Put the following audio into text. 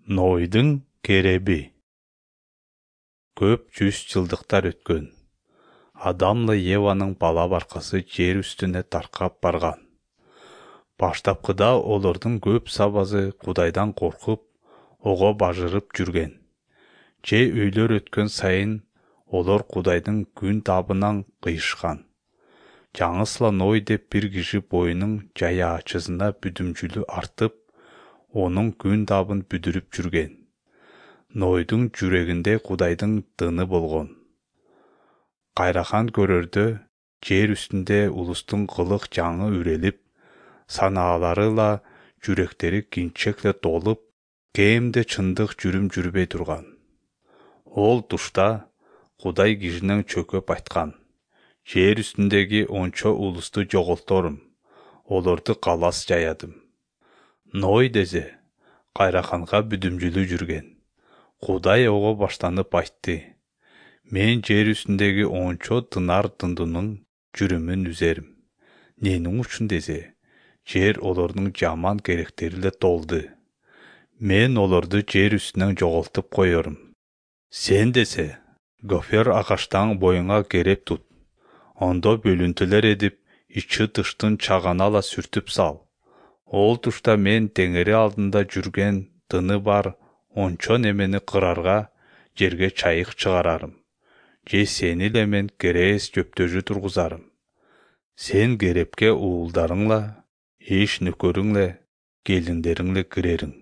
Нойдун кереби. Көп жүз жылдыктар өткөн. Адамлы Еванын бала баркасы жер үстүнө таркап барган. Баштапкыда олордун көп сабазы Кудайдан коркуп, ого бажырып жүрген. Же үйлөр өткөн сайын олор Кудайдын күн табынан кыйышкан. Жаңысла Ной деп бир киши боюнун жая ачысына бүдүмчүлү артып, онун күн табын бүдүрүп жүрген. Нойдун жүрөгүндө Кудайдын дыны болгон. Кайрахан көрөрдө жер үстүндө улустун кылык жаңы үрелип, санааларыла жүрөктөрү кинчекте толуп, кээмде чындык жүрүм жүрбөй турган. Ол тушта Кудай кишинен чөкөп айткан: жер үстүндөгү ончо улусту жоголторум, олорду калас жаядым. Ной дезе кайраханга бүдүмчүлүү жүрген. Кудай ого баштанып айтты: мен жер үстүндөгү ончо тынар дындунун жүрүмүн үзерим. Ненің үчүн дезе, жер олордун жаман керектери эле толду. Мен олорду жер үстүнөн жоголтуп коерум. Сен десе, гофер агаштан боюңа кереп тут. Ондо бөлүнтүлөр эдип, ичи тыштын чагана ала сүртүп сал. Ол тушта мен теңери алдында жүрген дыны бар ончо немени кырарга жерге чайык чыгарарым. Же сени эле мен керээс жөптөжү тургузарым. Сен керепке уулдарыңла, эш нөкөрүңле, келиндериңле кирериң.